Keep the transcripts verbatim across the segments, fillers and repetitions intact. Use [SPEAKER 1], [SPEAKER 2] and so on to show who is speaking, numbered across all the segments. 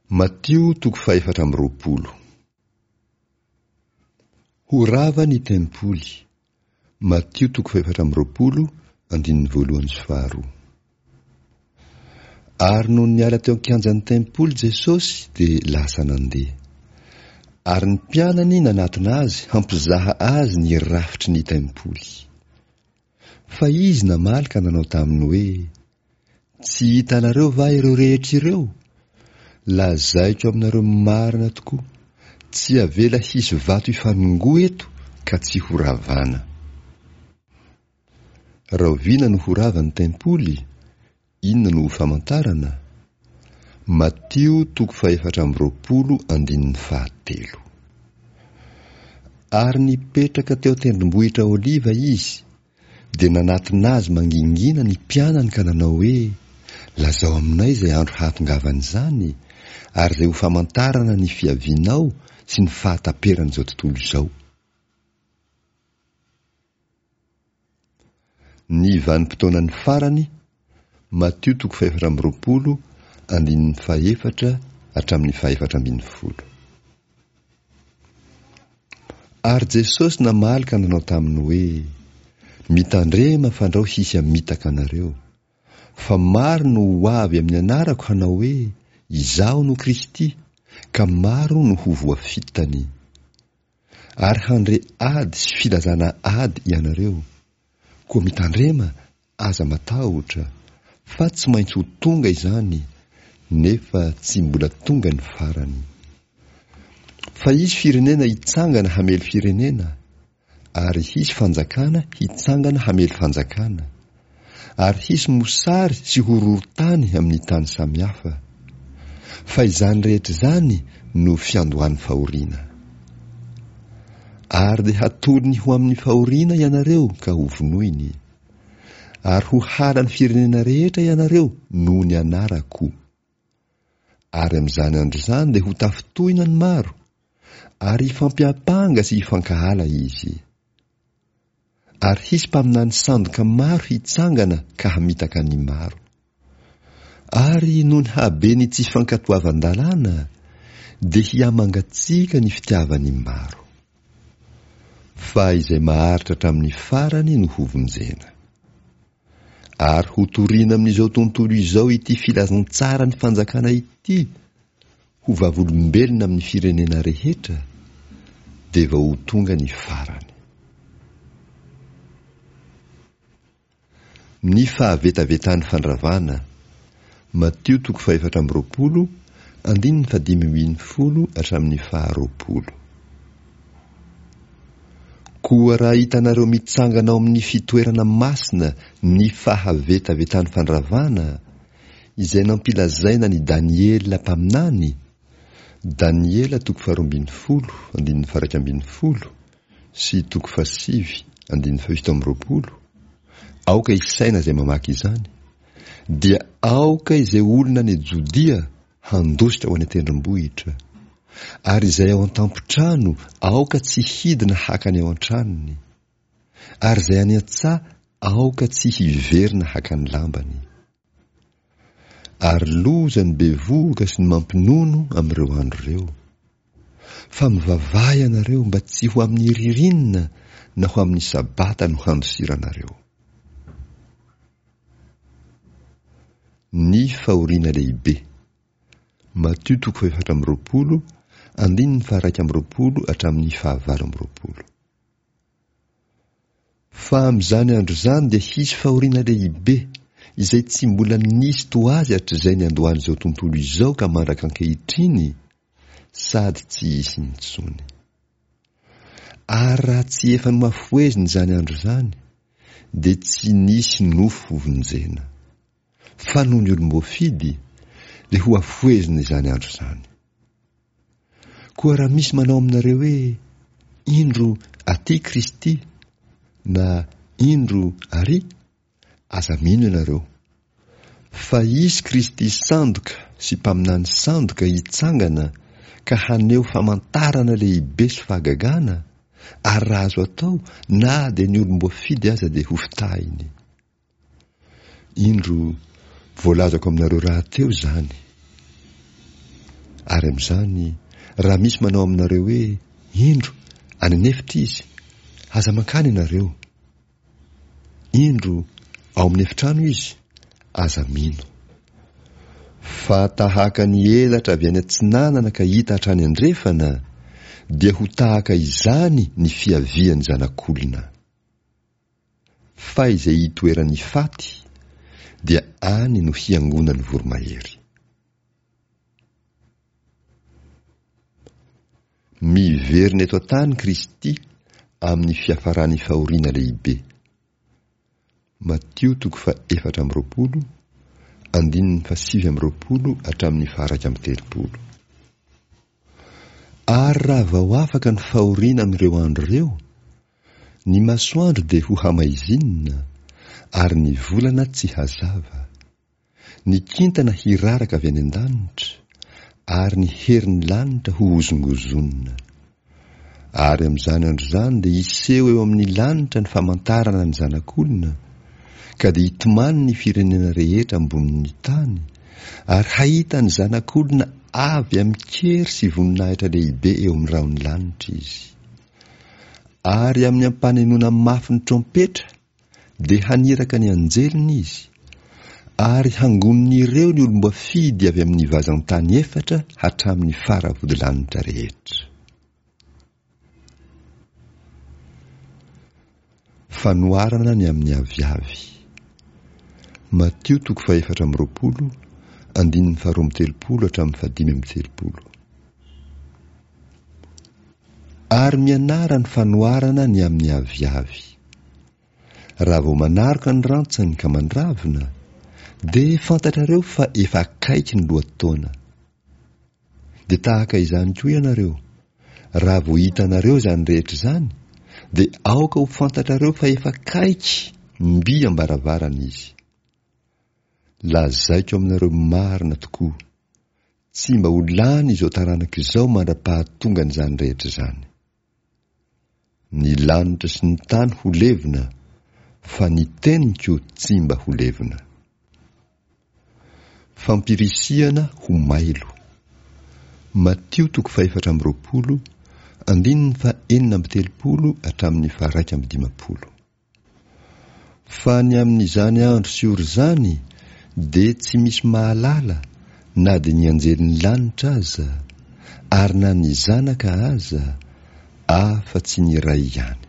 [SPEAKER 1] Matio toko fahefatra amby roapolo. Ho rava ny tempoly. Matio toko fahefatra amby roapolo, andininy voalohany sy faharoa. Ary nony niala teo an-kianjan'ny tempoly Jesosy dia lasa nandeha. Ary ny mpianany nanatona azy hampizaha azy ny rafitry ny tempoly. Fa izy namaly ka nanao taminy hoe, Tsy hitanareo va ireo rehetra ireo? Lazaiko aminareo marina tokoa, tsy avela hisy vato hifanongoa eto ka tsy horavana. Rahoviana no ho rava ny tempoly? Inona no ho famantarana? Matio toko fahefatra amby roapolo andininy fahatelo. Ary nipetraka teo an-tendrombohitra Oliva izy, dia nanatona azy mangingina ny mpianany ka nanao hoe, Lazao aminay izay andro hahatongavan'izany, ary izay ho famantarana ny fiavianao sy ny fahataperan'izao tontolo izao. Ny vanim-potoanan'ny farany, Matio toko fahefatra amby roapolo, andininy fahefatra hatramin'ny fahefatra ambin'ny folo. Ary Jesosy namaly ka nanao taminy hoe, Mitandrema fandrao hisy hamitaka anareo. Fa maro no ho avy amin'ny anarako hanao hoe, Izaho no Kristy, ka maro no ho voafitany. Ary handre ady sy filazana ady ianareo. Koa mitandrema, aza matahotra, fa tsy maintsy ho tonga izany, nefa tsy mbola tonga ny farany. Fa hisy firenena hitsangana hamely firenena, ary hisy fanjakana hitsangana hamely fanjakana, ary hisy mosary sy horohorontany amin'ny tany samihafa. Fa izany rehetra izany no fiandohan'ny fahoriana. Ary dia hatolony ho amin'ny fahoriana ianareo ka hovonoiny. Ary ho halan'ny firenena rehetra ianareo noho ny anarako. Ary amin'izany andro izany dia ho tafintohina ny maro, ary hifampiampanga sy hifankahala izy. Ary hisy mpaminany sandoka maro hitsangana ka hamitaka ny maro. Ary noho ny haben'ny tsy fankatoavan-dalàna, dia hihamangatsiaka ny fitiavan'ny maro. Fa izay maharitra hatramin'ny farany no hovonjena. Ary hotorina amin'izao tontolo izao ity filazantsaran'ny fanjakana ity, ho vavolombelona amin'ny firenena rehetra, dia vao ho tonga ny farany. Ny fahavetavetan'ny fandravana, Matio toko fahefatra amby roapolo, andininy fahadimy ambin'ny folo hatramin'ny faharoapolo. Koa raha hitanareo mitsangana ao amin'ny fitoerana masina ny fahavetavetan'ny fandravana, izay nampilazaina an'i Daniela mpaminany, Daniela toko faharoa ambin'ny folo, andininy faha-iraika ambin'ny folo, sy toko fahasivy, andininy fahafito amby roapolo, aoka hisaina izay mamaky izany, dia aoka izay olona any Jodia handositra ho any an-tendrombohitra, ary izay ao an-tampon-trano aoka tsy hidina haka ny ao an-tranony, ary izay any an-tsaha aoka tsy hiverina haka ny lambany. Ary loza ny bevohoka sy ny mampinono amin'ireo andro ireo. Fa mivavaha ianareo mba tsy ho amin'ny ririnina na ho amin'ny sabata no handosiranareo. Ny fahoriana lehibe. Matio toko fahefatra amby roapolo, andininy faha-iraika amby roapolo hatramin'ny fahavalo amby roapolo. Fa amin'izany andro izany dia hisy fahoriana lehibe, izay tsy mbola nisy toa azy hatrizay niandohan'izao tontolo izao ka mandraka ankehitriny, sady tsy hisy intsony. Ary raha tsy efa nohafohezina izany andro izany, dia tsy nisy nofo hovonjena. Fa noho ny olom-boafidy, dia hohafohezina izany andro izany. Koa raha misy manao aminareo hoe, Indro aty Kristy, na Indro ary, aza mino ianareo. Fa hisy Kristy sandoka sy mpaminany sandoka hitsangana ka haneho famantarana lehibe sy fahagagana, ary raha azo atao, na dia ny olom-boafidy aza dia hofitahiny. Indro, voalazako aminareo rahateo izany. Ary amin'izany, raha misy manao aminareo hoe, Indro, any an'efitra izy, aza mankany ianareo. Indro, ao amin'ny efitrano izy, aza mino. Fa tahaka ny elatra avy any atsinanana ka hita hatrany andrefana, dia ho tahaka izany ny fiavian'ny Zanak'olona. Fa izay itoeran'ny faty, dia any no hiangonan'ny voromahery. Miverina eto an-tany Kristy amin'ny fiafaran'ny fahoriana lehibe. Matio toko faha-efatra amby roapolo, andininy fahasivy amby roapolo hatramin'ny faha-iraika amby telopolo. Ary raha vao afaka ny fahoriana amin'ireo andro ireo, ny masoandro dia ho hamaizinina, ary ny volana tsy hazava. Ny kintana hiraraka avy any an-danitra, ary ny herin'ny lanitra ho hozongozonina. Ary amin'izany andro izany dia hiseho eo amin'ny lanitra ny famantarana ny Zanak'olona, ka dia hitomany ny firenena rehetra ambonin'ny tany, ary hahita ny Zanak'olona avy amin-kery sy voninahitra lehibe eo amin'ny rahon'ny lanitra izy. Ary amin'ny ampanenoana mafy ny trompetra, dia haniraka ny anjeliny izy, ary hangonin'ireo ny olom-boafidy avy amin'ny vazan-tany efatra hatramin'ny faravodilanitra rehetra. Fanoharana ny amin'ny aviavy. Matio toko fahefatra amby roapolo, andininy faharoa amby telopolo hatramin'ny fahadimy amby telopolo. Ary mianara ny fanoharana ny amin'ny aviavy. Raha vao manaroka ny rantsany ka mandravina, dia fantatrareo fa efa akaiky ny lohataona. Dia tahaka izany koa ianareo, raha vao hitanareo izany rehetra izany, dia aoka ho fantatrareo fa efa akaiky mby am-baravarana izy. Lazaiko aminareo marina tokoa, tsy mba ho lany izao taranaka izao mandra-pahatongan'izany rehetra izany. Ny lanitra sy ny tany ho levona, fa ny teniko tsy mba ho levona. Fampirisihana ho mailo. Matio toko fahefatra amby roapolo, andininy fahenina amby telopolo hatramin'ny faharaika amby dimampolo. Fa ny amin'izany andro sy ora izany dia tsy misy mahalala na dia ny anjelin'ny lanitra aza, ary na ny Zanaka aza, afa-tsy ny Ray ihany.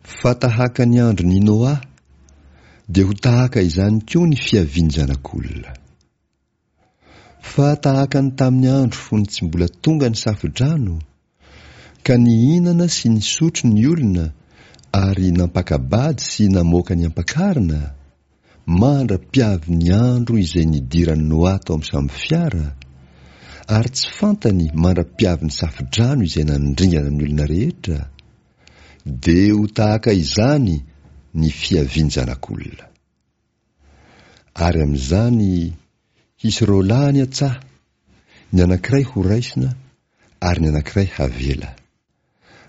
[SPEAKER 1] Fa tahaka ny andron'i Noa, dia ho tahaka izany koa ny fiavian'ny Zanak'olona. Fa tahaka ny tamin'ny andro fony tsy mbola tonga ny safo-drano, ka nihinana sy nisotro ny olona ary nampaka-bady sy namoaka ny ampakarina, mandra-piavy ny andro izay nidiran'i Noa tao amin'ny sambofiara, ary tsy fantany mandra-piavy ny safo-drano izay nandringana ny olona rehetra, dia ho tahaka izany ny fiavian'ny Zanak'olona. Ary amin'izany hisy roa lahy any an-tsaha, ny anankiray horaisina ary ny anankiray havela.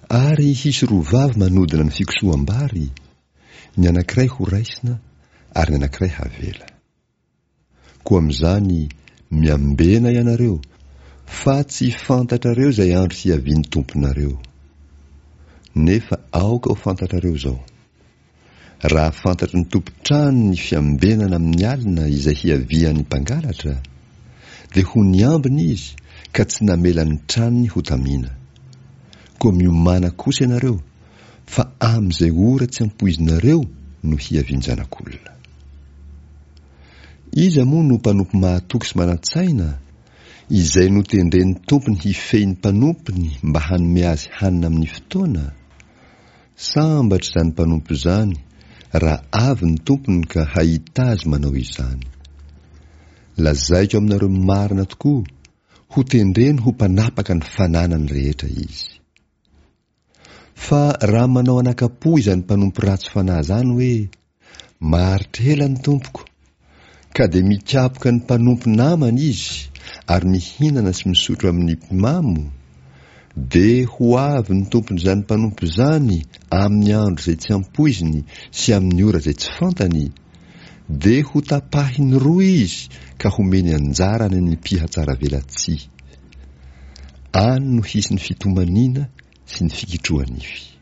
[SPEAKER 1] Ary hisy roa vavy manodina ny fikosoham-bary, ny anankiray horaisina ary ny anankiray havela. Koa amin'izany miambena ianareo, fa tsy fantatrareo izay andro hiavian'ny Tomponareo. Nefa aoka ho fantatrareo izao, raha fantatry ny tompon-trano ny fiambenana amin'ny alina izay hiavian'ny mpangalatra, dia ho niambina izy ka tsy namela ny tranony ho tamina. Koa miomàna kosa ianareo, fa amin'izay ora tsy ampoizinareo no hiavian-janak'olona. Iza moa no mpanompo mahatoky sy manan-tsaina, izay notendren'ny tompony hifehy ny mpanompony mba hanome azy hanina amin'ny fotoana? Sambatra izany mpanompo izany raha avy ny tompony ka hahita azy manao izany. Lazaiko aminareo marina tokoa, hotendreny ho mpanapaka ny fananany rehetra izy. Fa raha manao anaka-po izany mpanompo ratsy fanahy izany hoe, Maharitra ela ny tompoko, ka dia mikapoka ny mpanompo namany izy ary mihinana sy misotro amin'ny mpimamo, dia ho avy ny tompon'izany mpanompo izany amin'ny andro izay tsy ampoiziny sy amin'ny ora izay tsy fantany, Dia hotapahiny roa izy ka homeny anjara any amin'ny mpihatsaravelatsihy. Any no hisy ny fitomaniana sy ny fikitroha-nify.